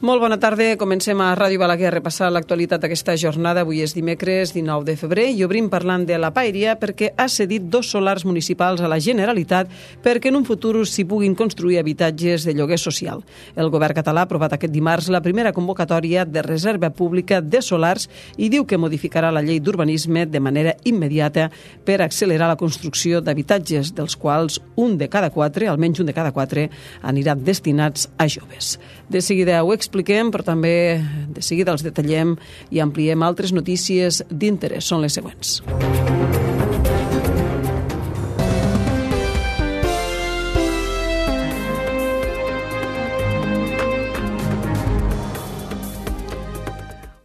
Molt bona tarda. Comencem a Ràdio Balaguer a repassar l'actualitat d'aquesta jornada. Avui és dimecres 19 de febrer i obrim parlant de la Paeria perquè ha cedit 2 solars municipals a la Generalitat perquè en un futur s'hi puguin construir habitatges de lloguer social. El govern català ha aprovat aquest dimarts la primera convocatòria de reserva pública de solars i diu que modificarà la llei d'urbanisme de manera immediata per accelerar la construcció d'habitatges, dels quals almenys un de cada 4, aniran destinats a joves. De seguida ho expliquem, però també de seguida els detallem i ampliem altres notícies d'interès. Són les següents.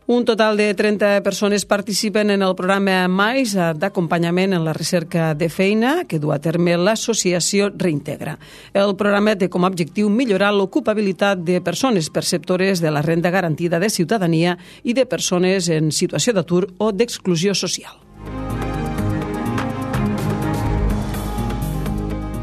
Un total de 30 persones participen en el programa MAIS d'acompanyament en la recerca de feina que du a terme l'associació Reintegra. El programa té com a objectiu millorar l'ocupabilitat de persones perceptores de la renda garantida de ciutadania i de persones en situació d'atur o d'exclusió social.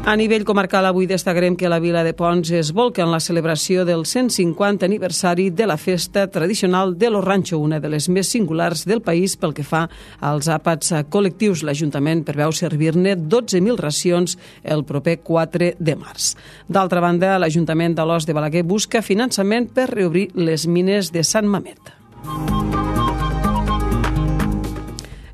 A nivell comarcal, avui destacarem que la vila de Ponts es volca en la celebració del 150 aniversari de la festa tradicional de Lo Rancho, una de les més singulars del país pel que fa als àpats col·lectius. L'Ajuntament preveu servir-ne 12.000 racions el proper 4 de març. D'altra banda, l'Ajuntament d'Alòs de Balaguer busca finançament per reobrir les mines de Sant Mamet.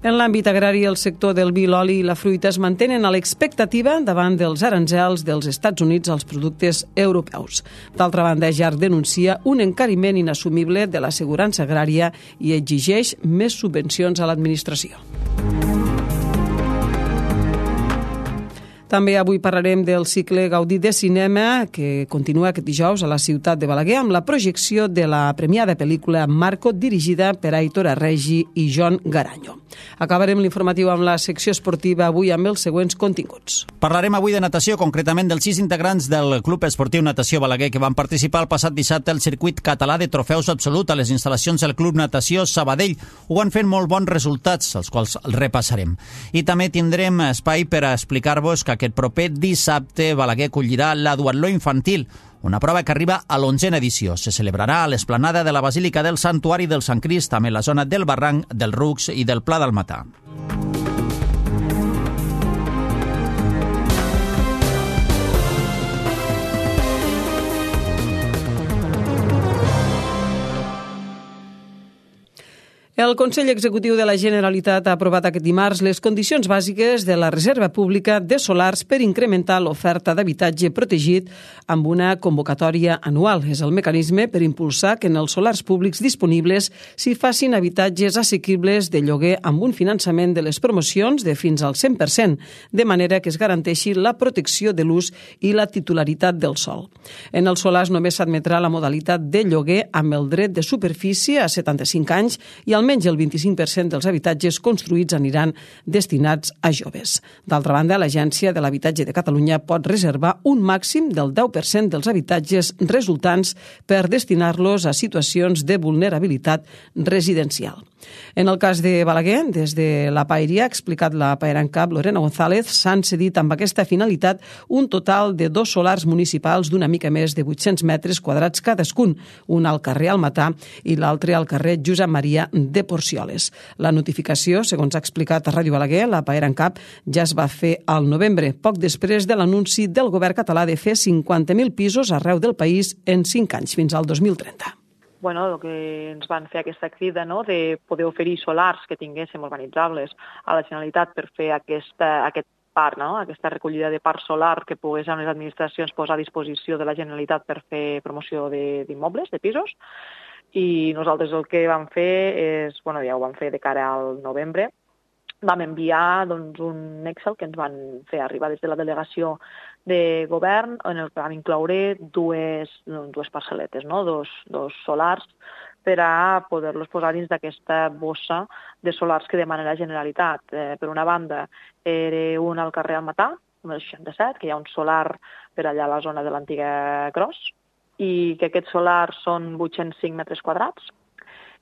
En l'àmbit agrari, el sector del vi, l'oli i la fruita es mantenen a l'expectativa davant dels aranzels dels Estats Units als productes europeus. D'altra banda, JAR denuncia un encariment inassumible de l'assegurança agrària i exigeix més subvencions a l'administració. També avui parlarem del cicle Gaudí de cinema que continua aquest dijous a la ciutat de Balaguer amb la projecció de la premiada pel·lícula Marco, dirigida per Aitor Arregi i Jon Garanyo. Acabarem l'informatiu amb la secció esportiva avui amb els següents continguts. Parlarem avui de natació, concretament dels 6 integrants del Club Esportiu Natació Balaguer que van participar el passat dissabte al circuit català de trofeus absolut a les instal·lacions del Club Natació Sabadell. Ho han fet molt bons resultats, els quals repassarem. I també tindrem espai per a explicar-vos que aquest proper dissabte Balaguer acollirà la duatló infantil, una prova que arriba a l'11a edició. Se celebrarà a l'esplanada de la Basílica del Santuari del Sant Crist, també a la zona del Barranc, del Rucs i del Pla del Matà. El Consell Executiu de la Generalitat ha aprovat aquest dimarts les condicions bàsiques de la reserva pública de solars per incrementar l'oferta d'habitatge protegit amb una convocatòria anual. És el mecanisme per impulsar que en els solars públics disponibles s'hi facin habitatges assequibles de lloguer amb un finançament de les promocions de fins al 100%, de manera que es garanteixi la protecció de l'ús i la titularitat del sòl. En els solars només s'admetrà la modalitat de lloguer amb el dret de superfície a 75 anys i almenys el 25% dels habitatges construïts aniran destinats a joves. D'altra banda, l'Agència de l'Habitatge de Catalunya pot reservar un màxim del 10% dels habitatges resultants per destinar-los a situacions de vulnerabilitat residencial. En el cas de Balaguer, des de la Paeria, ha explicat la paerancap Lorena González, s'han cedit amb aquesta finalitat un total de 2 solars municipals d'una mica més de 800 metres quadrats cadascun, un al carrer Almatà i l'altre al carrer Josep Maria de Porcioles. La notificació, segons ha explicat a Ràdio Balaguer, la paerancap ja es va fer al novembre, poc després de l'anunci del govern català de fer 50.000 pisos arreu del país en 5 anys, fins al 2030. El que ens van fer aquesta crida, de poder oferir solars que tinguéssim urbanitzables a la Generalitat per fer aquest parc, aquesta recollida de parc solar que poguessin les administracions posar a disposició de la Generalitat per fer promoció d'immobles, de pisos. I nosaltres el que vam fer és, ja ho vam fer de cara al novembre, vam enviar un Excel que ens van fer arribar des de la delegació de govern en el que vam incloure dues parcel·letes, dos solars per a poder-los posar dins d'aquesta bossa de solars que demana la Generalitat. Per una banda, era un al carrer Almatà, número 67, que hi ha un solar per allà a la zona de l'antiga Gros, i que aquests solars són 805 metres quadrats,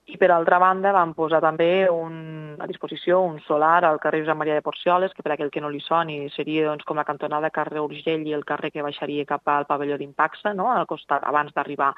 I per altra banda vam posar també a disposició un solar al carrer Josep Maria de Porcioles, que per aquell que no li soni seria doncs, com la cantonada carrer Urgell i el carrer que baixaria cap al pavelló d'Impaxa, no? Al costat, abans d'arribar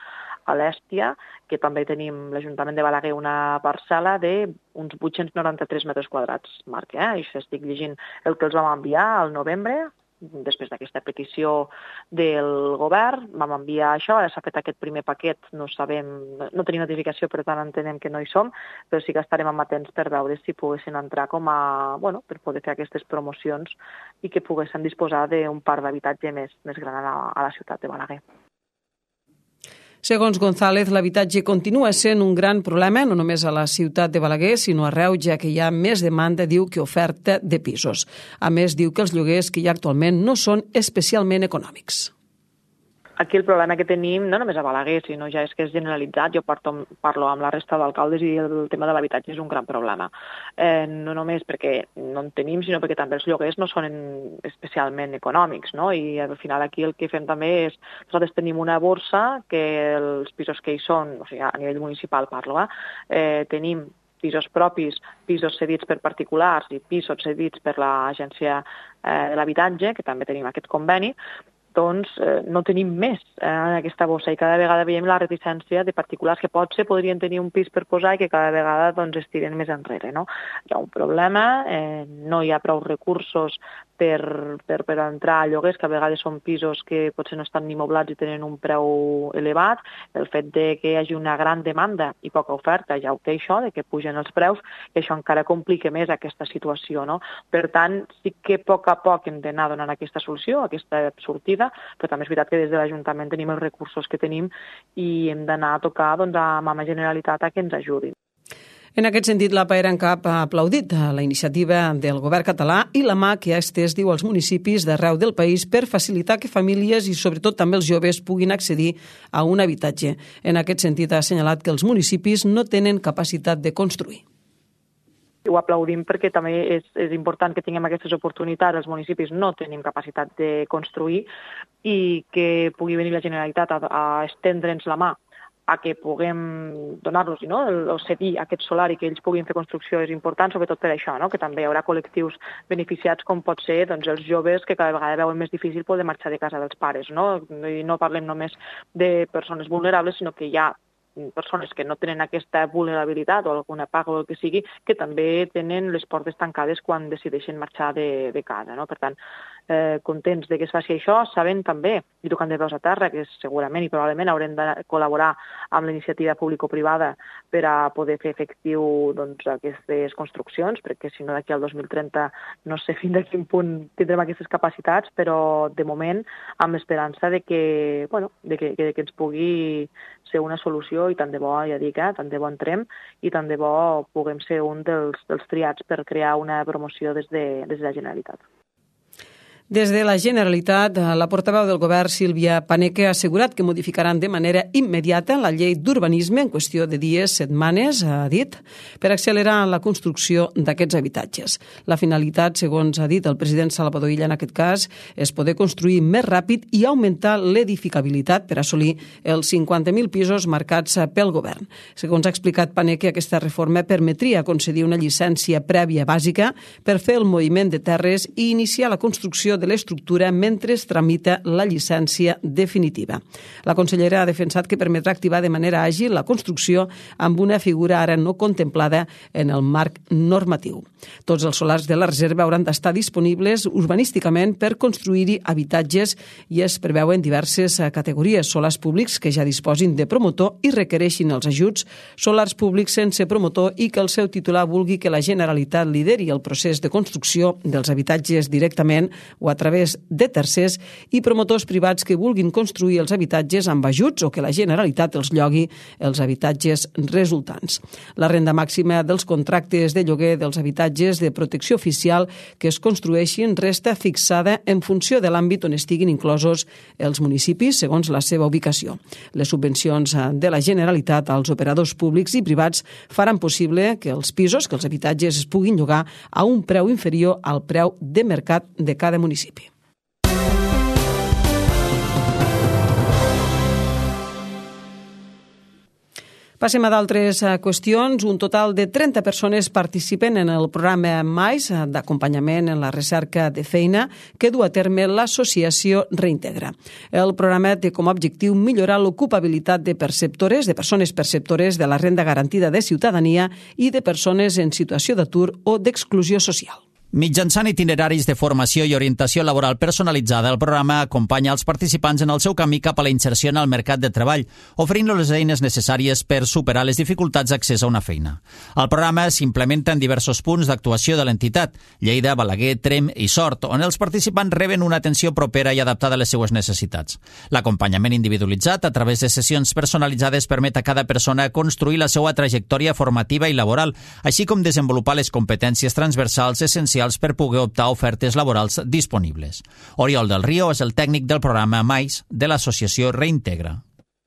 a l'Èstia, que també tenim l'Ajuntament de Balaguer una parcel·la d'uns 893 metres quadrats, Marc. Això estic llegint el que els vam enviar al novembre, després d'aquesta petició del govern, vam enviar això, s'ha fet aquest primer paquet, no tenim notificació, per tant entenem que no hi som, però sí que estarem amatents per veure si poguessin entrar per poder fer aquestes promocions i que poguessin disposar d'un parc d'habitatge més gran a la ciutat de Balaguer. Segons González, l'habitatge continua sent un gran problema, no només a la ciutat de Balaguer, sinó arreu, ja que hi ha més demanda, diu, que oferta de pisos. A més, diu que els lloguers que hi ha actualment no són especialment econòmics. Aquí el problema que tenim, no només a Balaguer, sinó ja és que és generalitzat, jo parlo amb la resta d'alcaldes i el tema de l'habitatge és un gran problema. No només perquè no en tenim, sinó perquè també els lloguers no són especialment econòmics, no? I al final aquí el que fem també és, nosaltres tenim una borsa que els pisos que hi són, o sigui, a nivell municipal parlo, tenim pisos propis, pisos cedits per particulars i pisos cedits per l'Agència de l'Habitatge, que també tenim aquest conveni, doncs no tenim més en aquesta bossa i cada vegada veiem la reticència de particulars que potser podrien tenir un pis per posar i que cada vegada doncs, es tiren més enrere. No? Hi ha un problema, no hi ha prou recursos per entrar a lloguers, que a vegades són pisos que potser no estan ni moblats i tenen un preu elevat. El fet de que hi hagi una gran demanda i poca oferta ja ho té això, de que pugen els preus, i això encara complica més aquesta situació. No? Per tant, sí que a poc hem d'anar donant aquesta solució, aquesta sortida, però també és veritat que des de l'Ajuntament tenim els recursos que tenim i hem d'anar a tocar doncs, amb la Generalitat que ens ajudin. En aquest sentit, la PAERANCAP ha aplaudit la iniciativa del govern català i la mà que ha estès, diu, als municipis d'arreu del país per facilitar que famílies i sobretot també els joves puguin accedir a un habitatge. En aquest sentit, ha assenyalat que els municipis no tenen capacitat de construir. Ho aplaudim perquè també és important que tinguem aquestes oportunitats. Els municipis no tenim capacitat de construir i que pugui venir la Generalitat a estendre'ns la mà a que puguem donar-los, no? O cedir aquest solar i que ells puguin fer construcció és important, sobretot per això, no? Que també hi haurà col·lectius beneficiats com pot ser doncs, els joves que cada vegada veuen més difícil poder marxar de casa dels pares. No? I no parlem només de persones vulnerables, sinó que hi ha persones que no tenen aquesta vulnerabilitat o alguna paga o el que sigui, que també tenen les portes tancades quan decideixen marxar de casa. No? Per tant, contents de que es faci això, sabent també, i tocant de peus a terra, que segurament i probablement haurem de col·laborar amb la iniciativa público-privada per a poder fer efectiu doncs, aquestes construccions, perquè si no d'aquí al 2030 no sé fins a quin punt tindrem aquestes capacitats, però de moment amb l'esperança de que ens pugui ser una solució i tant de bo, ja dic, tant de bo entrem i tant de bo puguem ser un dels triats per crear una promoció des de la Generalitat. Des de la Generalitat, la portaveu del govern, Sílvia Paneque, ha assegurat que modificaran de manera immediata la llei d'urbanisme en qüestió de dies, setmanes, ha dit, per accelerar la construcció d'aquests habitatges. La finalitat, segons ha dit el president Salvador Illa en aquest cas, és poder construir més ràpid i augmentar l'edificabilitat per assolir els 50.000 pisos marcats pel govern. Segons ha explicat Paneque, aquesta reforma permetria concedir una llicència prèvia bàsica per fer el moviment de terres i iniciar la construcció de l'estructura mentre es tramita la llicència definitiva. La consellera ha defensat que permetrà activar de manera àgil la construcció amb una figura ara no contemplada en el marc normatiu. Tots els solars de la reserva hauran d'estar disponibles urbanísticament per construir-hi habitatges i es preveuen diverses categories: solars públics que ja disposin de promotor i requereixin els ajuts, solars públics sense promotor i que el seu titular vulgui que la Generalitat lideri el procés de construcció dels habitatges directament o a través de tercers, i promotors privats que vulguin construir els habitatges amb ajuts o que la Generalitat els llogui els habitatges resultants. La renda màxima dels contractes de lloguer dels habitatges de protecció oficial que es construeixin resta fixada en funció de l'àmbit on estiguin inclosos els municipis segons la seva ubicació. Les subvencions de la Generalitat als operadors públics i privats faran possible que els pisos, que els habitatges es puguin llogar a un preu inferior al preu de mercat de cada municipi. Passem a d'altres qüestions. Un total de 30 persones participen en el programa MAIS d'acompanyament en la recerca de feina que du a terme l'associació Reintegra. El programa té com a objectiu millorar l'ocupabilitat de persones perceptores de la renda garantida de ciutadania i de persones en situació d'atur o d'exclusió social. Mitjançant itineraris de formació i orientació laboral personalitzada, el programa acompanya els participants en el seu camí cap a la inserció en el mercat de treball, oferint-los les eines necessàries per superar les dificultats d'accés a una feina. El programa s'implementa en diversos punts d'actuació de l'entitat, Lleida, Balaguer, Tremp i Sort, on els participants reben una atenció propera i adaptada a les seues necessitats. L'acompanyament individualitzat a través de sessions personalitzades permet a cada persona construir la seva trajectòria formativa i laboral, així com desenvolupar les competències transversals essencials per poder optar a ofertes laborals disponibles. Oriol del Río és el tècnic del programa MAIS de l'associació Reintegra.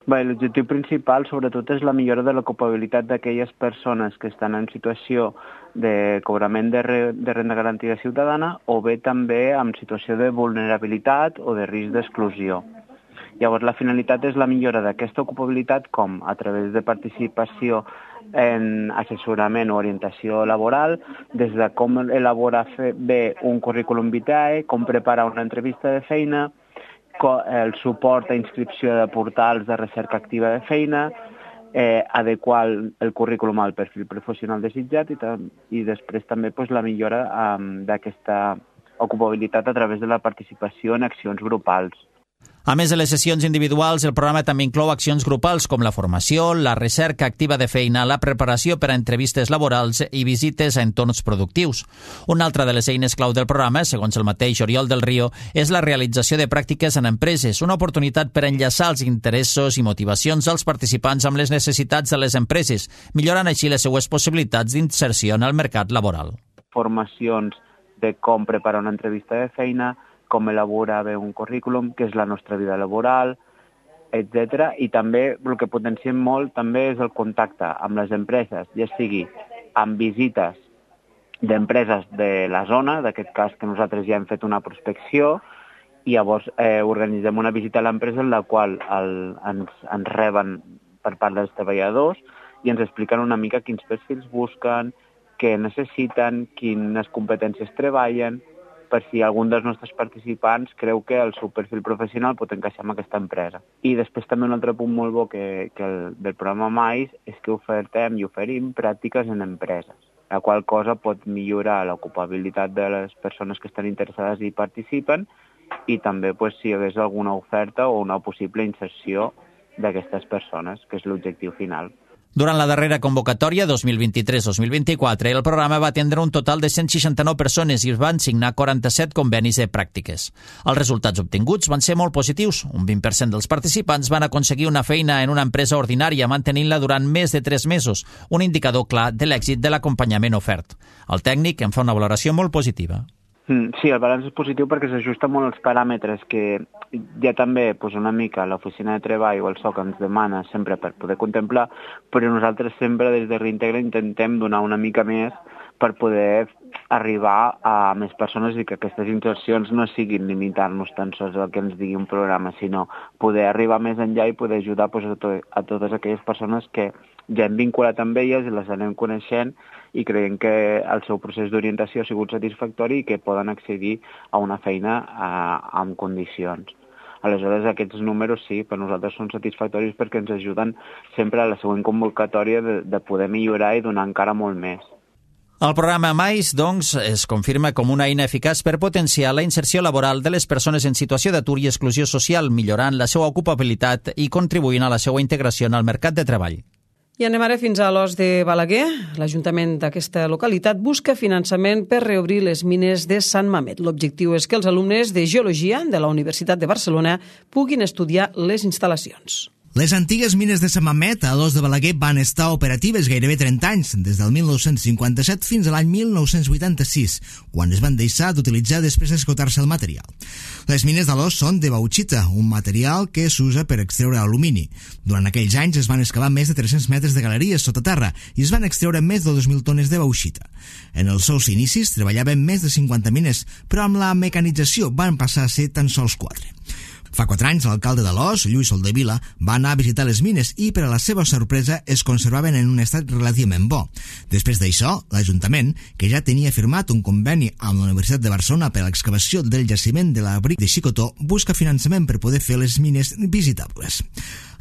L'objectiu principal, sobretot, és la millora de l'ocupabilitat d'aquelles persones que estan en situació de cobrament de renda garantida ciutadana o bé també en situació de vulnerabilitat o de risc d'exclusió. Llavors, la finalitat és la millora d'aquesta ocupabilitat com a través de participació en assessorament o orientació laboral, des de com elaborar bé un currículum vitae, com preparar una entrevista de feina, el suport a inscripció de portals de recerca activa de feina, adequar el currículum al perfil professional desitjat i després també la millora d'aquesta ocupabilitat a través de la participació en accions grupals. A més de les sessions individuals, el programa també inclou accions grupals com la formació, la recerca activa de feina, la preparació per a entrevistes laborals i visites a entorns productius. Una altra de les eines clau del programa, segons el mateix Oriol del Río, és la realització de pràctiques en empreses, una oportunitat per enllaçar els interessos i motivacions dels participants amb les necessitats de les empreses, millorant així les seues possibilitats d'inserció en el mercat laboral. Formacions de com preparar una entrevista de feina, com elaborar bé un currículum, què és la nostra vida laboral, etc. I també el que potenciem molt també és el contacte amb les empreses, ja sigui amb visites d'empreses de la zona, d'aquest cas que nosaltres ja hem fet una prospecció, i llavors organitzem una visita a l'empresa en la qual ens reben per part dels treballadors i ens expliquen una mica quins perfils busquen, què necessiten, quines competències treballen, per si algun dels nostres participants creu que el seu perfil professional pot encaixar en aquesta empresa. I després també un altre punt molt bo del programa MAIS és que oferim pràctiques en empreses, la qual cosa pot millorar l'ocupabilitat de les persones que estan interessades i participen i també si hi hagués alguna oferta o una possible inserció d'aquestes persones, que és l'objectiu final. Durant la darrera convocatòria 2023-2024, el programa va atendre un total de 169 persones i es van signar 47 convenis de pràctiques. Els resultats obtinguts van ser molt positius. Un 20% dels participants van aconseguir una feina en una empresa ordinària mantenint-la durant més de 3 mesos, un indicador clar de l'èxit de l'acompanyament ofert. El tècnic en fa una valoració molt positiva. Sí, el balanç és positiu perquè s'ajusta molt als paràmetres que ja també una mica l'oficina de treball o el SOC ens demana sempre per poder contemplar, però nosaltres sempre des de Reintegra intentem donar una mica més per poder arribar a més persones i que aquestes insercions no siguin limitar-nos tan sols al que ens digui un programa, sinó poder arribar més enllà i poder ajudar a totes aquelles persones que ja hem vinculat amb elles i les anem coneixent i creiem que el seu procés d'orientació ha sigut satisfactori i que poden accedir a una feina amb condicions. Aleshores, aquests números sí, per nosaltres són satisfactoris perquè ens ajuden sempre a la següent convocatòria de poder millorar i donar encara molt més. El programa MAIS, doncs, es confirma com una eina eficaç per potenciar la inserció laboral de les persones en situació d'atur i exclusió social, millorant la seva ocupabilitat i contribuint a la seva integració en el mercat de treball. I anem ara fins a l'Os de Balaguer. L'Ajuntament d'aquesta localitat busca finançament per reobrir les mines de Sant Mamet. L'objectiu és que els alumnes de Geologia de la Universitat de Barcelona puguin estudiar les instal·lacions. Les antigues mines de Sant Mamet a l'Os de Balaguer van estar operatives gairebé 30 anys, des del 1957 fins a l'any 1986, quan es van deixar d'utilitzar després d'esgotar-se el material. Les mines de l'Os són de bauxita, un material que s'usa per extreure alumini. Durant aquells anys es van excavar més de 300 metres de galeries sota terra i es van extreure més de 2.000 tones de bauxita. En els seus inicis treballaven més de 50 mines, però amb la mecanització van passar a ser tan sols 4. Fa 4 anys, l'alcalde d'Alòs, Lluís Soldevila, va anar a visitar les mines i, per a la seva sorpresa, es conservaven en un estat relativament bo. Després d'això, l'Ajuntament, que ja tenia firmat un conveni amb la Universitat de Barcelona per a l'excavació del jaciment de l'abric de Xicotó, busca finançament per poder fer les mines visitables.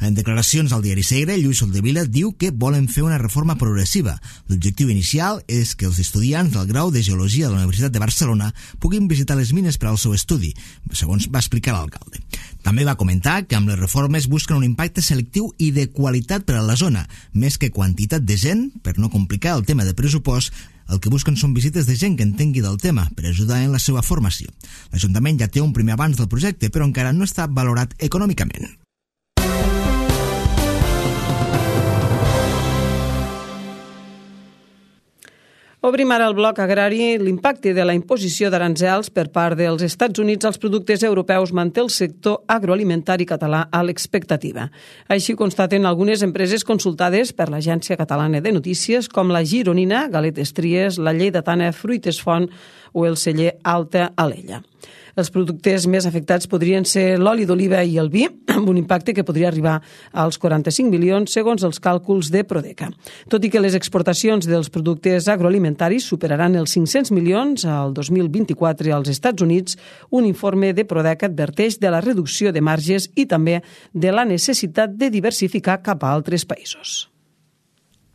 En declaracions al diari Segre, Lluís Soldevila diu que volen fer una reforma progressiva. L'objectiu inicial és que els estudiants del grau de Geologia de la Universitat de Barcelona puguin visitar les mines per al seu estudi, segons va explicar l'alcalde. També va comentar que amb les reformes busquen un impacte selectiu i de qualitat per a la zona, més que quantitat de gent, per no complicar el tema de pressupost. El que busquen són visites de gent que entengui del tema per ajudar en la seva formació. L'Ajuntament ja té un primer avanç del projecte, però encara no està valorat econòmicament. Obrim ara el bloc agrari. L'impacte de la imposició d'aranzels per part dels Estats Units als productes europeus manté el sector agroalimentari català a l'expectativa. Així constaten algunes empreses consultades per l'Agència Catalana de Notícies, com la Gironina, Galetes Tries, la Lleidatana, Fruites Font o el celler Alta Alella. Els productes més afectats podrien ser l'oli d'oliva i el vi, amb un impacte que podria arribar als 45 milions, segons els càlculs de Prodeca. Tot i que les exportacions dels productes agroalimentaris superaran els 500 milions al 2024 als Estats Units, un informe de Prodeca adverteix de la reducció de marges i també de la necessitat de diversificar cap a altres països.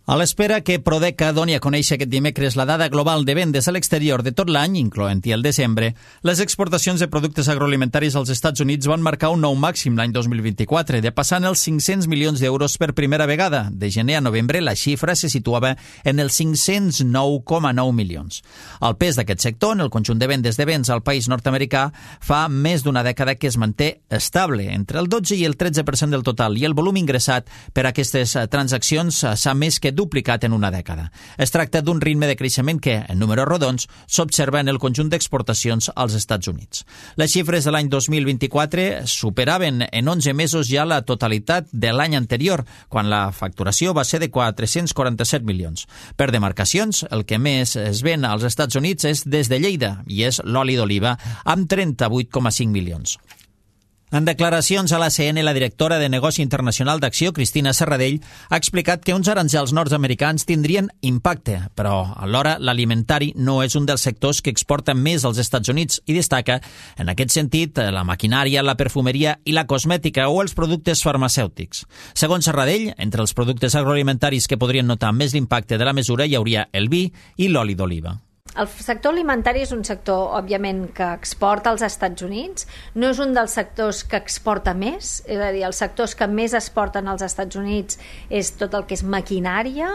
A l'espera que Prodeca doni a conèixer aquest dimecres la dada global de vendes a l'exterior de tot l'any, incloent-hi el desembre, les exportacions de productes agroalimentaris als Estats Units van marcar un nou màxim l'any 2024, depassant els 500 milions d'euros per primera vegada. De gener a novembre, la xifra se situava en els 509,9 milions. El pes d'aquest sector en el conjunt de vendes de béns al país nord-americà fa més d'una dècada que es manté estable, entre el 12 i el 13% del total, i el volum ingressat per a aquestes transaccions s'ha més que duplicat en una dècada. Es tracta d'un ritme de creixement que, en números rodons, s'observa en el conjunt d'exportacions als Estats Units. Les xifres de l'any 2024 superaven en 11 mesos ja la totalitat de l'any anterior, quan la facturació va ser de 447 milions. Per demarcacions, el que més es ven als Estats Units és des de Lleida, i és l'oli d'oliva, amb 38,5 milions. En declaracions a l'ACN, la directora de Negoci Internacional d'Acció, Cristina Serradell, ha explicat que uns aranzels nord-americans tindrien impacte, però alhora l'alimentari no és un dels sectors que exporten més als Estats Units i destaca, en aquest sentit, la maquinària, la perfumeria i la cosmètica o els productes farmacèutics. Segons Serradell, entre els productes agroalimentaris que podrien notar més l'impacte de la mesura hi hauria el vi i l'oli d'oliva. El sector alimentari és un sector, òbviament, que exporta als Estats Units. No és un dels sectors que exporta més, és a dir, els sectors que més exporten als Estats Units és tot el que és maquinària,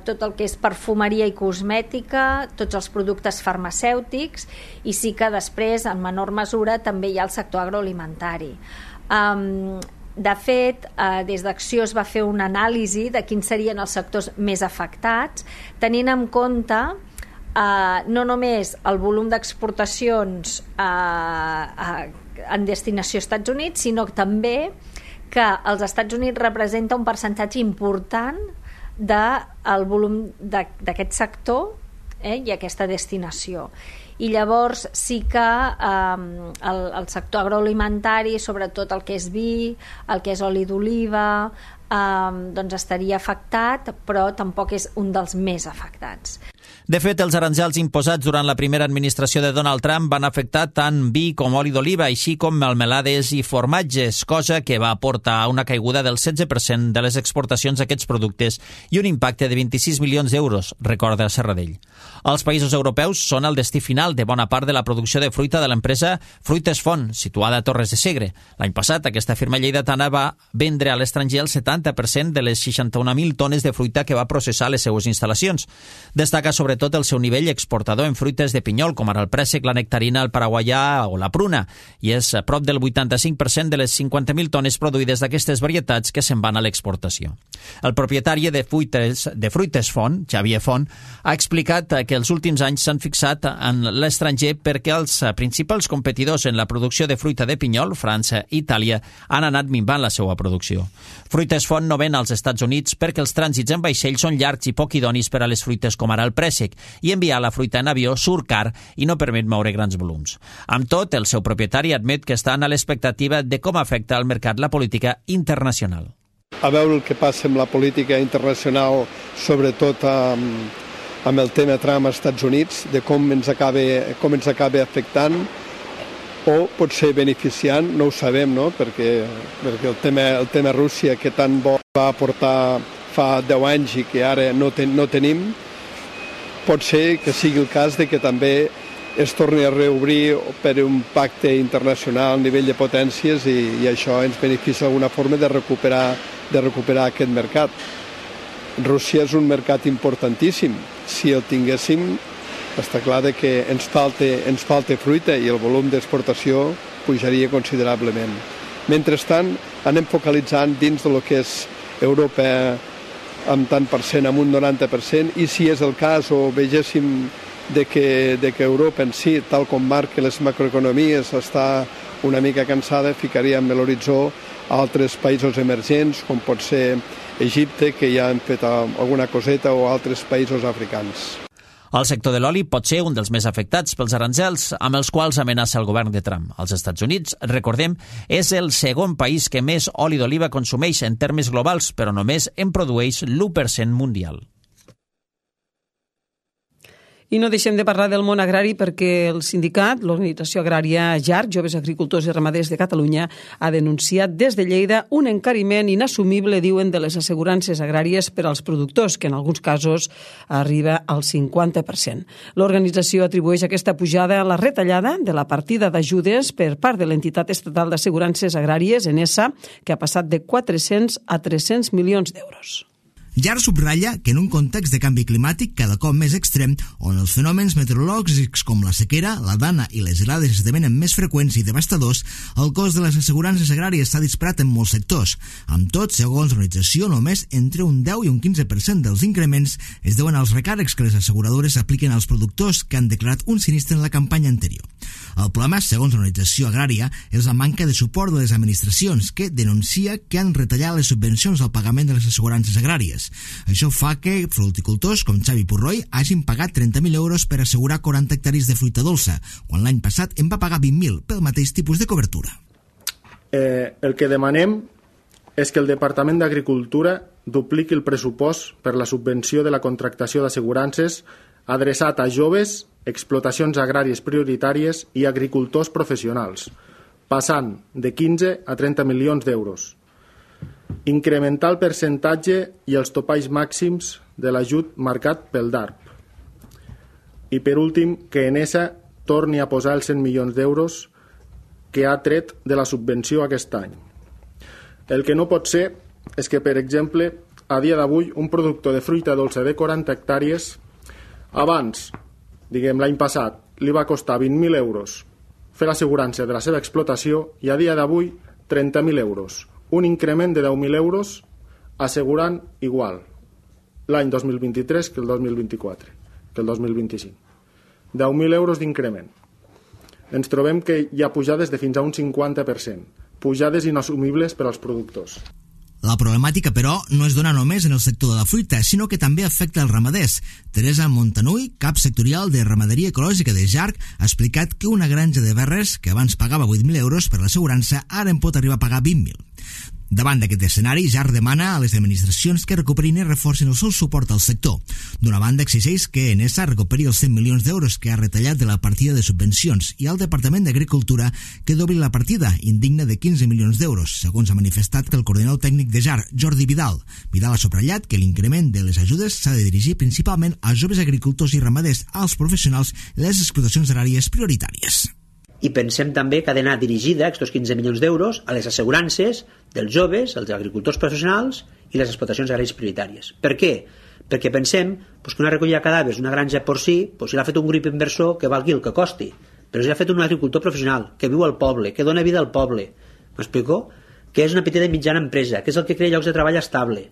tot el que és perfumeria i cosmètica, tots els productes farmacèutics, i sí que després, en menor mesura, també hi ha el sector agroalimentari. De fet, des d'Acció es va fer una anàlisi de quins serien els sectors més afectats, tenint en compte no només el volum d'exportacions en destinació als Estats Units, sinó també que els Estats Units representa un percentatge important del volum d'aquest sector i aquesta destinació. I llavors sí que el sector agroalimentari, sobretot el que és vi, el que és oli d'oliva, doncs estaria afectat, però tampoc és un dels més afectats. De fet, els aranzels imposats durant la primera administració de Donald Trump van afectar tant vi com oli d'oliva, així com melmelades i formatges, cosa que va portar a una caiguda del 16% de les exportacions d'aquests productes i un impacte de 26 milions d'euros, recorda Serradell. Els països europeus són el destí final de bona part de la producció de fruita de l'empresa Fruites Font, situada a Torres de Segre. L'any passat, aquesta firma lleidatana va vendre a l'estranger el 70% de les 61.000 tones de fruita que va processar a les seues instal·lacions. Destaca sobretot el seu nivell exportador en fruites de pinyol, com ara el préssec, la nectarina, el paraguaià o la pruna, i és a prop del 85% de les 50.000 tones produïdes d'aquestes varietats que se'n van a l'exportació. El propietari de Fruites Font, Xavier Font, ha explicat que els últims anys s'han fixat en l'estranger perquè els principals competidors en la producció de fruita de pinyol, França i Itàlia, han anat minvant la seva producció. Fruites Font no ven als Estats Units perquè els trànsits en vaixell són llargs i poc idonis per a les fruites com ara el préssec, préssec i enviar la fruita en avió surt car i no permet moure grans volums. Amb tot, el seu propietari admet que estan a l'expectativa de com afecta al mercat la política internacional. A veure el que passa amb la política internacional, sobretot amb el tema Trump als Estats Units, de com ens acaba afectant, o potser beneficiant, no ho sabem, no? Perquè el tema Rússia, que tan bo va aportar fa 10 anys i que ara no tenim, pot ser que sigui el cas de que també es torni a reobrir per un pacte internacional a nivell de potències i això ens beneficia d'alguna forma de recuperar aquest mercat. Rússia és un mercat importantíssim. Si el tinguéssim, està clar que ens falta fruita i el volum d'exportació pujaria considerablement. Mentrestant, anem focalitzant dins de lo que és Europa amb tant per cent, amb un 90%, i si és el cas o vegéssim de que Europa en si, tal com marca les macroeconomies, està una mica cansada, ficaríem a l'horitzó altres països emergents, com pot ser Egipte, que ja han fet alguna coseta, o altres països africans. El sector de l'oli pot ser un dels més afectats pels aranzels amb els quals amenaça el govern de Trump. Els Estats Units, recordem, és el segon país que més oli d'oliva consumeix en termes globals, però només en produeix l'1% mundial. I no deixem de parlar del món agrari perquè el sindicat, l'organització agrària JAR, Joves Agricultors i Ramaders de Catalunya, ha denunciat des de Lleida un encariment inassumible, diuen, de les assegurances agràries per als productors, que en alguns casos arriba al 50%. L'organització atribueix aquesta pujada a la retallada de la partida d'ajudes per part de l'entitat estatal d'assegurances agràries, ENESA, que ha passat de 400 a 300 milions d'euros. JAR subratlla que en un context de canvi climàtic cada cop més extrem, on els fenòmens meteorològics com la sequera, la dana i les gelades esdevenen més freqüents i devastadors, el cost de les assegurances agràries s'ha disparat en molts sectors. Amb tot, segons l'organització, només entre un 10 i un 15% dels increments es deuen als recàrrecs que les asseguradores apliquen als productors que han declarat un sinistre en la campanya anterior. El problema, segons l'organització agrària, és la manca de suport de les administracions, que denuncia que han retallat les subvencions al pagament de les assegurances agràries. Això fa que fruticultors com Xavi Purroi hagin pagat 30.000 euros per assegurar 40 hectàrees de fruita dolça, quan l'any passat en va pagar 20.000 pel mateix tipus de cobertura. El que demanem és que el Departament d'Agricultura dupliqui el pressupost per la subvenció de la contractació d'assegurances adreçat a joves, explotacions agràries prioritàries i agricultors professionals, passant de 15 a 30 milions d'euros. Incrementar el percentatge i els topalls màxims de l'ajut marcat pel DARP. I per últim, que ENESA torni a posar els 100 milions d'euros que ha tret de la subvenció aquest any. El que no pot ser és que, per exemple, a dia d'avui, un productor de fruita dolça de 40 hectàrees, abans, l'any passat, li va costar 20.000 euros fer l'assegurança de la seva explotació i a dia d'avui 30.000 euros. Un increment de 10.000 euros assegurant igual l'any 2023 que el 2024, que el 2025. 10.000 euros d'increment. Ens trobem que hi ha pujades de fins a un 50%, pujades inassumibles per als productors. La problemàtica, però, no es dona només en el sector de la fruita, sinó que també afecta els ramaders. Teresa Montanui, cap sectorial de Ramaderia Ecològica de JAR, ha explicat que una granja de verres, que abans pagava 8.000 euros per l'assegurança, ara en pot arribar a pagar 20.000. Davant d'aquest escenari, JAR demana a les administracions que recuperin i reforcin el seu suport al sector. D'una banda, exigeix que ENESA recuperi els 100 milions d'euros que ha retallat de la partida de subvencions i al Departament d'Agricultura que dobli la partida, indigna de 15 milions d'euros, segons ha manifestat el coordinador tècnic de JAR, Jordi Vidal. Vidal ha subratllat que l'increment de les ajudes s'ha de dirigir principalment als joves agricultors i ramaders, als professionals i les explotacions agràries prioritàries. I pensem també que ha d'anar dirigida aquests 15 milions d'euros a les assegurances dels joves, els agricultors professionals i les explotacions agràries prioritàries. Per què? Perquè pensem que una recollida de cadàvers, una granja porcí, si l'ha fet un grup inversor, que valgui el que costi, però si l'ha fet un agricultor professional que viu al poble, que dona vida al poble, m'explico? Que és una petita i mitjana empresa, que és el que crea llocs de treball estable,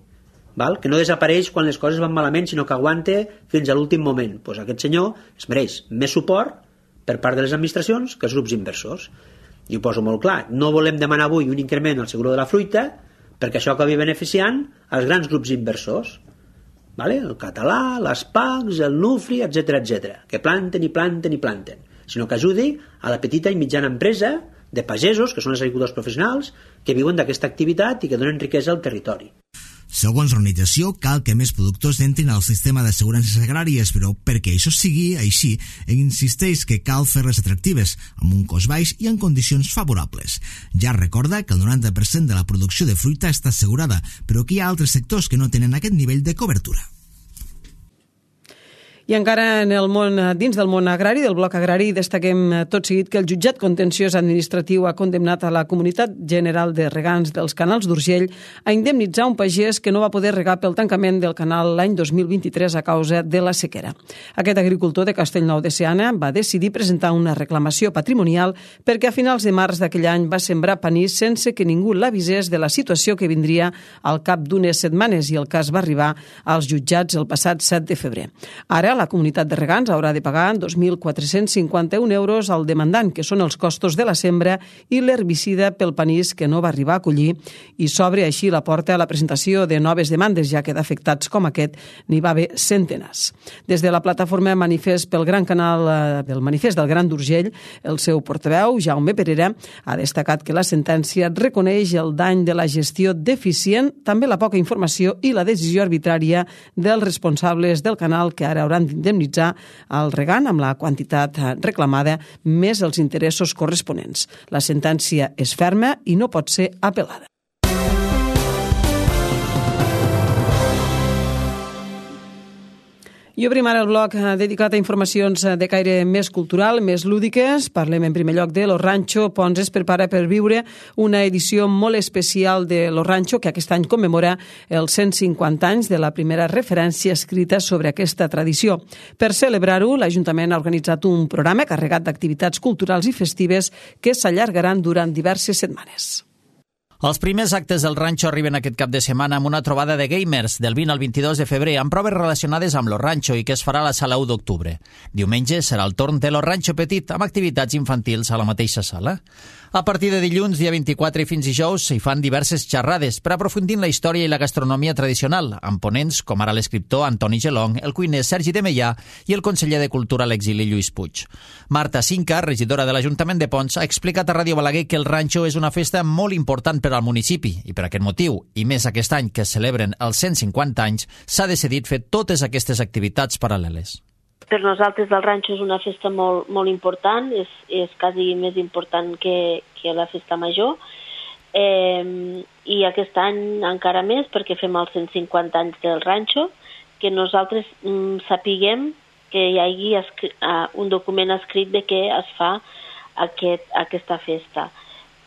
que no desapareix quan les coses van malament, sinó que aguanta fins a l'últim moment. Aquest senyor es mereix més suport per part de les administracions que els grups inversors. I ho poso molt clar, no volem demanar avui un increment al seguro de la fruita perquè això acabi beneficiant als grans grups inversors. el català, les PACs, el NUFRI, etc, que planten i planten i planten, sinó que ajudi a la petita i mitjana empresa de pagesos, que són els agricultors professionals, que viuen d'aquesta activitat i que donen riquesa al territori. Segons l'organització, cal que més productors entrin al sistema d'assegurances agràries, però perquè això sigui així, insisteix que cal fer-les atractives, amb un cost baix i en condicions favorables. Ja recorda que el 90% de la producció de fruita està assegurada, però que hi ha altres sectors que no tenen aquest nivell de cobertura. I encara dins del món agrari, del bloc agrari, destaquem tot seguit que el jutjat contenciós administratiu ha condemnat a la Comunitat General de Regants dels Canals d'Urgell a indemnitzar un pagès que no va poder regar pel tancament del canal l'any 2023 a causa de la sequera. Aquest agricultor de Castellnou de Seana va decidir presentar una reclamació patrimonial perquè a finals de març d'aquell any va sembrar panís sense que ningú l'avisés de la situació que vindria al cap d'unes setmanes, i el cas va arribar als jutjats el passat 7 de febrer. Ara, la comunitat de regants haurà de pagar 2.451 euros al demandant, que són els costos de la sembra i l'herbicida pel panís que no va arribar a collir, i s'obre així la porta a la presentació de noves demandes, ja que d'afectats com aquest n'hi va haver centenars. Des de la plataforma Manifest pel Gran Canal del Manifest del Gran d'Urgell, el seu portaveu, Jaume Perera, ha destacat que la sentència reconeix el dany de la gestió deficient, també la poca informació i la decisió arbitrària dels responsables del canal, que ara hauran d'indemnitzar el regant amb la quantitat reclamada més els interessos corresponents. La sentència és ferma i no pot ser apel·lada. I obrim ara el bloc dedicat a informacions de caire més cultural, més lúdiques. Parlem en primer lloc de Lo Rancho. Pons es prepara per viure una edició molt especial de Lo Rancho, que aquest any commemora els 150 anys de la primera referència escrita sobre aquesta tradició. Per celebrar-ho, l'Ajuntament ha organitzat un programa carregat d'activitats culturals i festives que s'allargaran durant diverses setmanes. Els primers actes del Rancho arriben aquest cap de setmana amb una trobada de gamers del 20 al 22 de febrer amb proves relacionades amb Lo Rancho i que es farà a la sala 1 d'octubre. Diumenge serà el torn de Lo Rancho Petit amb activitats infantils a la mateixa sala. A partir de dilluns, dia 24 i fins dijous, s'hi fan diverses xerrades per aprofundir en la història i la gastronomia tradicional, amb ponents com ara l'escriptor Antoni Gelong, el cuiner Sergi de Meià i el conseller de Cultura a l'exili Lluís Puig. Marta Cinca, regidora de l'Ajuntament de Ponts, ha explicat a Ràdio Balaguer que el Rancho és una festa molt important per al municipi i per aquest motiu, i més aquest any que es celebren els 150 anys, s'ha decidit fer totes aquestes activitats paral·leles. Per nosaltres el Rancho és una festa molt important, és quasi més important que la festa major, i aquest any encara més perquè fem els 150 anys del Rancho, que nosaltres sapiguem que hi hagi un document escrit de què es fa aquesta festa.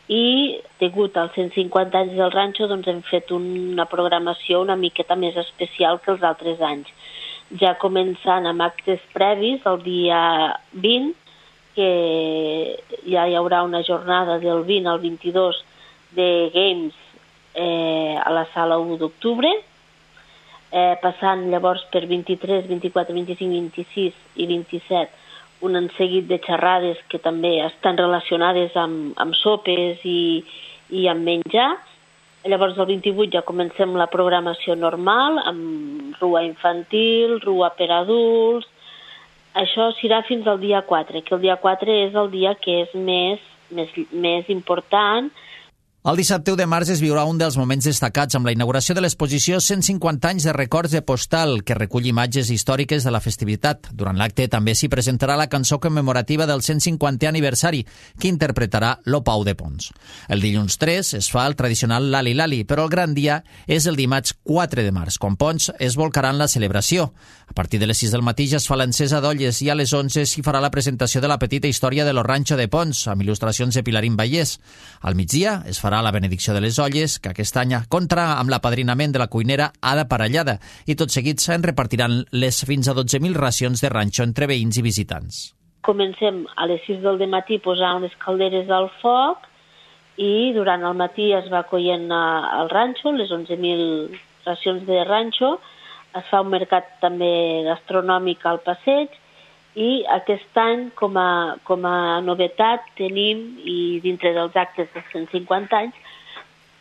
I degut als 150 anys del Rancho doncs hem fet una programació una miqueta més especial que els altres anys. Ja començant amb actes previs el dia 20, que ja hi haurà una jornada del 20 al 22 de games a la sala 1 d'octubre, passant llavors per 23, 24, 25, 26 i 27 un seguit de xerrades que també estan relacionades amb sopes i amb menjar. Llavors, el 28 ja comencem la programació normal, amb rua infantil, rua per adults. Això serà fins al dia 4, que el dia 4 és el dia que és més important. El dissabte 1 de març es viurà un dels moments destacats amb la inauguració de l'exposició 150 anys de records de postal, que recull imatges històriques de la festivitat. Durant l'acte també s'hi presentarà la cançó commemorativa del 150è aniversari, que interpretarà Lo Pau de Pons. El dilluns 3 es fa el tradicional Lali Lali, però el gran dia és el dimarts 4 de març, quan Pons es volcarà en la celebració. A partir de les 6 del matí ja es fa l'encesa d'olles i a les 11 s'hi farà la presentació de la petita història de Lo Rancho de Pons, amb il·lustracions de Pilarín Vallès. Al migdia es farà la benedicció de les olles, que aquest any compta amb l'apadrinament de la cuinera Ada Parellada, i tot seguit se'n repartiran les fins a 12.000 racions de ranxo entre veïns i visitants. Comencem a les 6 del matí posant les calderes al foc i durant el matí es va coient el ranxo, les 11.000 racions de ranxo. Es fa un mercat també gastronòmic al passeig i aquest any, com a novetat, tenim, i dintre dels actes dels 150 anys,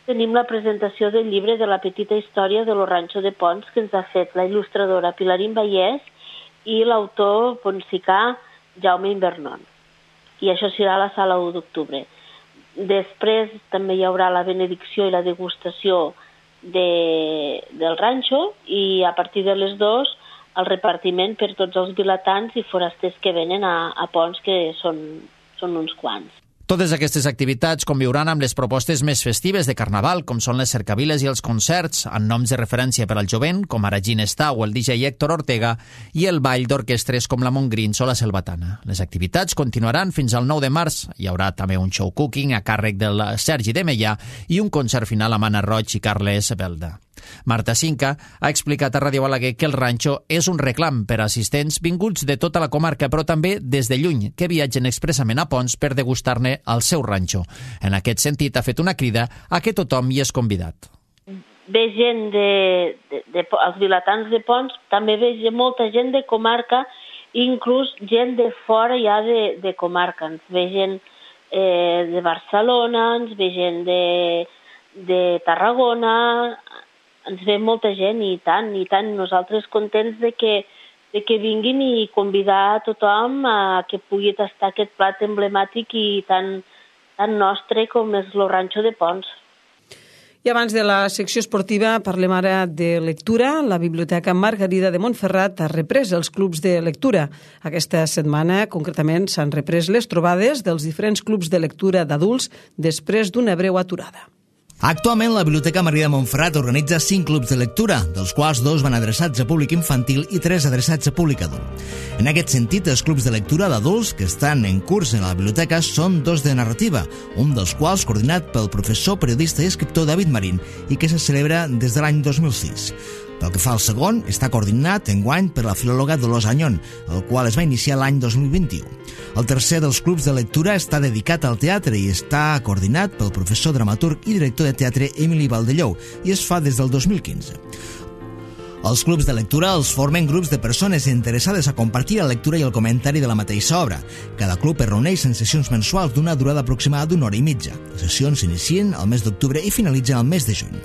tenim la presentació del llibre de la petita història de lo Rancho de Pons, que ens ha fet la il·lustradora Pilarín Vallès i l'autor ponsicà Jaume Invernon. I això serà a la sala 1 d'octubre. Després també hi haurà la benedicció i la degustació del ranxo i a partir de les 2 el repartiment per tots els vilatans i forasters que venen a Pons, que són uns quants. Totes aquestes activitats conviuran amb les propostes més festives de Carnaval, com són les cercaviles i els concerts, amb noms de referència per al jovent, com ara Ginestà o el DJ Héctor Ortega, i el ball d'orquestres com la Montgrins o la Selvatana. Les activitats continuaran fins al 9 de març. Hi haurà també un show cooking a càrrec del Sergi de Meià i un concert final amb Anna Roig i Carles Belda. Marta Cinca ha explicat a Ràdio Balaguer que el ranxo és un reclam per a assistents vinguts de tota la comarca, però també des de lluny, que viatgen expressament a Pons per degustar-ne al seu ranxo. En aquest sentit, ha fet una crida a que tothom hi és convidat. Ve gent els vilatans de Pons, també ve molta gent de comarca, inclús gent de fora ja de comarca. Ens ve gent de Barcelona, ens ve gent de Tarragona, ens ve molta gent i tant, nosaltres contents de que vinguin i convidar a tothom a que pugui tastar aquest plat emblemàtic i tan nostre com és el Ranxo de Pons. I abans de la secció esportiva parlem ara de lectura. La Biblioteca Margarida de Montferrat ha reprès els clubs de lectura. Aquesta setmana, concretament, s'han reprès les trobades dels diferents clubs de lectura d'adults després d'una breu aturada. Actualment, la Biblioteca Margarida de Montferrat organitza 5 clubs de lectura, dels quals 2 van adreçats a públic infantil i 3 adreçats a públic adult. En aquest sentit, els clubs de lectura d'adults que estan en curs en la biblioteca són 2 de narrativa, un dels quals coordinat pel professor, periodista i escriptor David Marín i que se celebra des de l'any 2006. Pel que fa al segon, està coordinat enguany per la filòloga Dolors Añón, el qual es va iniciar l'any 2021. El tercer dels clubs de lectura està dedicat al teatre i està coordinat pel professor dramaturg i director de teatre Emili Valdellou i es fa des del 2015. Els clubs de lectura els formen grups de persones interessades a compartir la lectura i el comentari de la mateixa obra. Cada club es reuneix en sessions mensuals d'una durada aproximada d'1 hora i mitja. Les sessions s'inicien al mes d'octubre i finalitzen al mes de juny.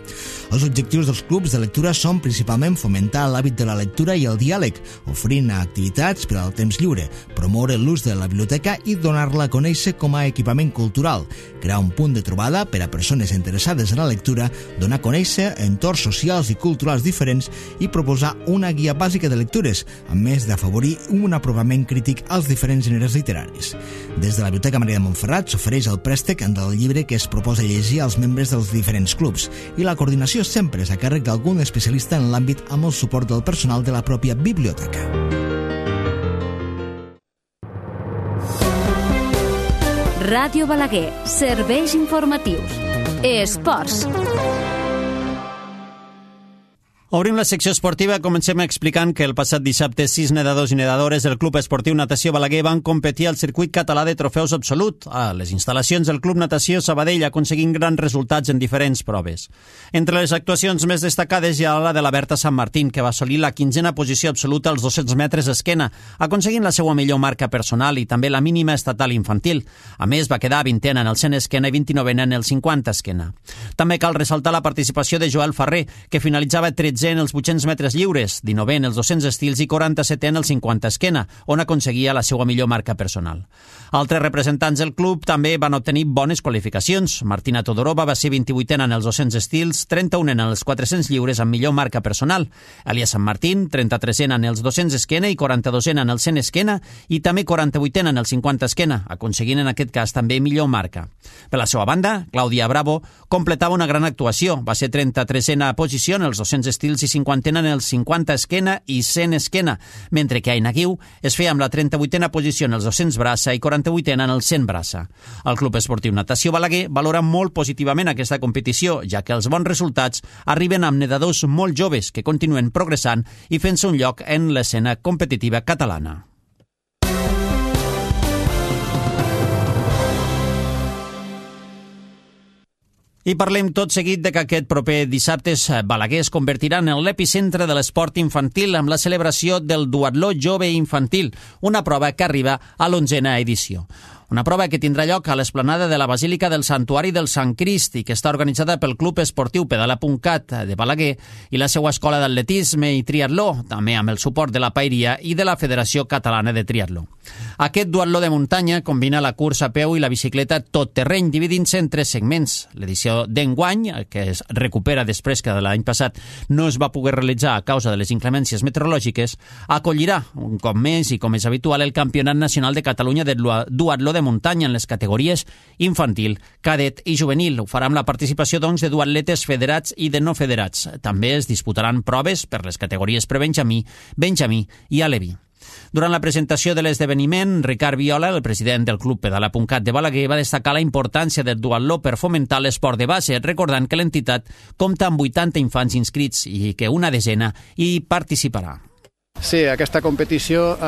Els objectius dels clubs de lectura són principalment fomentar l'hàbit de la lectura i el diàleg, oferint activitats per al temps lliure, promoure l'ús de la biblioteca i donar-la a conèixer com a equipament cultural, crear un punt de trobada per a persones interessades en la lectura, donar a conèixer entorns socials i culturals diferents i proposar una guia bàsica de lectures, a més d'afavorir un aprovament crític als diferents gèneres literaris. Des de la Biblioteca Margarida de Montferrat s'ofereix el préstec del llibre que es proposa llegir als membres dels diferents clubs i la coordinació sempre és a càrrec d'algun especialista en l'àmbit amb el suport del personal de la pròpia biblioteca. Ràdio Balaguer, serveis informatius. Esports. Obrim la secció esportiva. Comencem explicant que el passat dissabte 6 nedadors i nedadores del Club Esportiu Natació Balaguer van competir al circuit català de trofeus absolut a les instal·lacions del Club Natació Sabadell, aconseguint grans resultats en diferents proves. Entre les actuacions més destacades hi ha la de la Berta Sant Martín, que va assolir la 15a posició absoluta als 200 metres esquena, aconseguint la seva millor marca personal i també la mínima estatal infantil. A més, va quedar 20a en el 100 esquena i 29a en el 50 esquena. També cal ressaltar la participació de Joel Ferrer, que finalitzava 13 en els 800 metres lliures, 19 en els 200 estils i 47 en el 50 esquena, on aconseguia la seva millor marca personal. Altres representants del club també van obtenir bones qualificacions. Martina Todorova va ser 28a en els 200 estils, 31a en els 400 lliures amb millor marca personal. Elia Sant Martín, 33a en els 200 esquena i 42a en el 100 esquena i també 48a en el 50 esquena, aconseguint en aquest cas també millor marca. Per la seva banda, Clàudia Bravo completava una gran actuació. Va ser 33a posició en els 200 estils i 50a en el 50 esquena i 100 esquena, mentre que Aina Guiu es feia amb la 38a posició en els 200 braça i 48a en el 100 braça. El Club Esportiu Natació Balaguer valora molt positivament aquesta competició, ja que els bons resultats arriben amb nedadors molt joves que continuen progressant i fent-se un lloc en l'escena competitiva catalana. I parlem tot seguit de que aquest proper dissabte Balaguer es convertirà en l'epicentre de l'esport infantil amb la celebració del Duatló Jove Infantil, una prova que arriba a l'11a edició. Una prova que tindrà lloc a l'esplanada de la Basílica del Santuari del Sant Crist i que està organitzada pel Club Esportiu Pedala.cat de Balaguer i la seva escola d'atletisme i triatló, també amb el suport de la Paeria i de la Federació Catalana de Triatló. Aquest duatló de muntanya combina la cursa a peu i la bicicleta tot terreny, dividint-se en 3 segments. L'edició d'enguany, que es recupera després que de l'any passat no es va poder realitzar a causa de les inclemències meteorològiques, acollirà un cop més i com és habitual el Campionat Nacional de Catalunya de duatló de muntanya en les categories infantil, cadet i juvenil. Ho farà amb la participació, doncs, de duatletes federats i de no federats. També es disputaran proves per les categories prebenjamí, benjamí i aleví. Durant la presentació de l'esdeveniment, Ricard Viola, el president del Club Pedala.cat de Balaguer, va destacar la importància del duatló per fomentar l'esport de base, recordant que l'entitat compta amb 80 infants inscrits i que una desena hi participarà. Sí, aquesta competició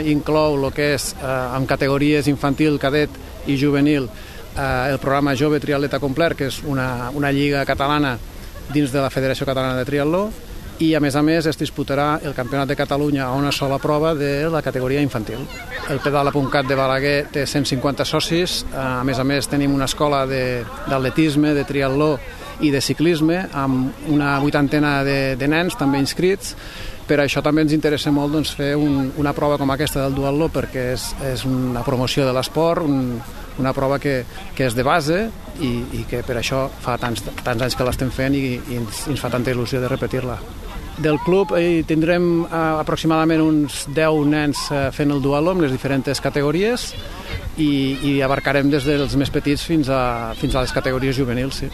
inclou el que és en categories infantil, cadet i juvenil el programa Jove Triatleta Complet, que és una lliga catalana dins de la Federació Catalana de Triatló, i a més es disputarà el Campionat de Catalunya a una sola prova de la categoria infantil. El Pedala.cat de Balaguer té 150 socis, a més tenim una escola d'atletisme, de triatló i de ciclisme amb una 80 de nens també inscrits. Per això també ens interessa molt fer una prova com aquesta del duatló, perquè és una promoció de l'esport, una prova que és de base i que per això fa tants anys que l'estem fent i ens fa tanta il·lusió de repetir-la. Del club tindrem aproximadament uns 10 nens fent el duatló en les diferents categories i abarcarem des dels més petits fins a les categories juvenils, sí.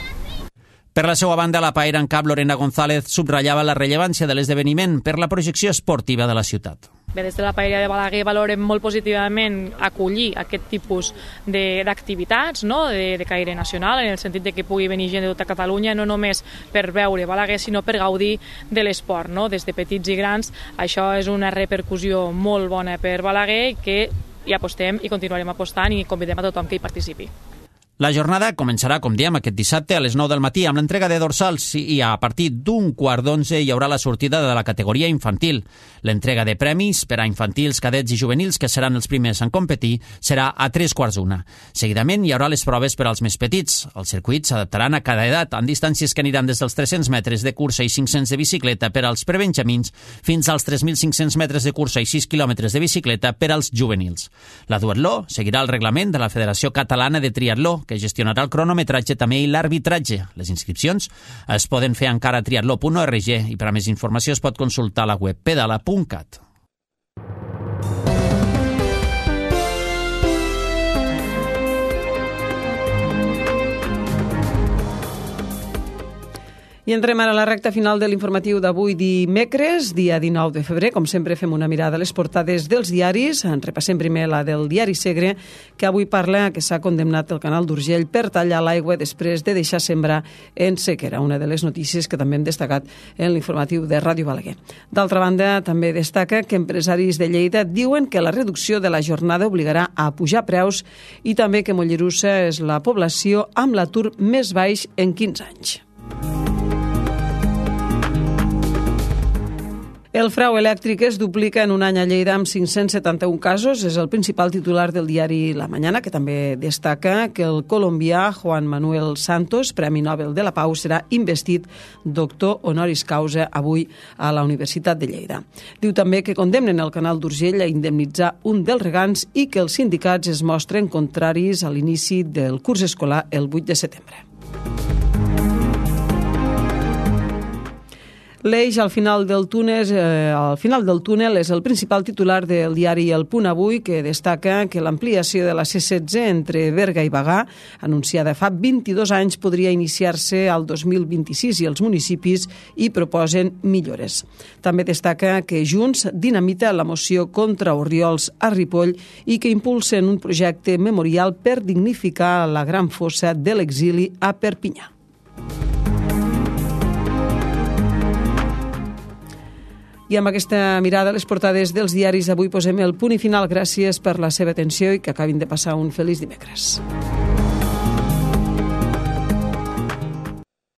Per la seva banda, la paera en cap Lorena González subratllava la rellevància de l'esdeveniment per la projecció esportiva de la ciutat. Bé, des de la Paeria de Balaguer valorem molt positivament acollir aquest tipus d'activitats, no? de caire nacional, en el sentit de que pugui venir gent de tota Catalunya, no només per veure Balaguer, sinó per gaudir de l'esport, no? Des de petits i grans. Això és una repercussió molt bona per Balaguer, que hi apostem i continuarem apostant i convidem a tothom que hi participi. La jornada començarà, com diem, aquest dissabte a les 9 del matí amb l'entrega de dorsals i a partir d'11:15 hi haurà la sortida de la categoria infantil. L'entrega de premis per a infantils, cadets i juvenils, que seran els primers en competir, serà a 3:15. Seguidament hi haurà les proves per als més petits. Els circuits s'adaptaran a cada edat, en distàncies que aniran des dels 300 metres de cursa i 500 de bicicleta per als prebenjamins fins als 3.500 metres de cursa i 6 quilòmetres de bicicleta per als juvenils. La duatló seguirà el reglament de la Federació Catalana de Triatló, que gestionarà el cronometratge també i l'arbitratge. Les inscripcions es poden fer encara a triatló.org i per a més informació es pot consultar a la web pedala.cat. I entrem ara a la recta final de l'informatiu d'avui dimecres, dia 19 de febrer. Com sempre, fem una mirada a les portades dels diaris. En repassem primer la del diari Segre, que avui parla que s'ha condemnat el canal d'Urgell per tallar l'aigua després de deixar sembrar en sequera, una de les notícies que també hem destacat en l'informatiu de Ràdio Balaguer. D'altra banda, també destaca que empresaris de Lleida diuen que la reducció de la jornada obligarà a pujar preus i també que Mollerussa és la població amb l'atur més baix en 15 anys. El frau elèctric es duplica en un any a Lleida amb 571 casos. És el principal titular del diari La Mañana, que també destaca que el colombià Juan Manuel Santos, Premi Nobel de la Pau, serà investit doctor honoris causa avui a la Universitat de Lleida. Diu també que condemnen el canal d'Urgell a indemnitzar un dels regants i que els sindicats es mostren contraris a l'inici del curs escolar el 8 de setembre. L'eix al final del túnel és el principal titular del diari El Punt Avui, que destaca que l'ampliació de la C16 entre Berga i Bagà, anunciada fa 22 anys, podria iniciar-se al 2026 i els municipis hi proposen millores. També destaca que Junts dinamita la moció contra Orriols a Ripoll i que impulsen un projecte memorial per dignificar la gran fossa de l'exili a Perpinyà. I amb aquesta mirada a les portades dels diaris d'avui posem el punt i final. Gràcies per la seva atenció i que acabin de passar un feliç dimecres.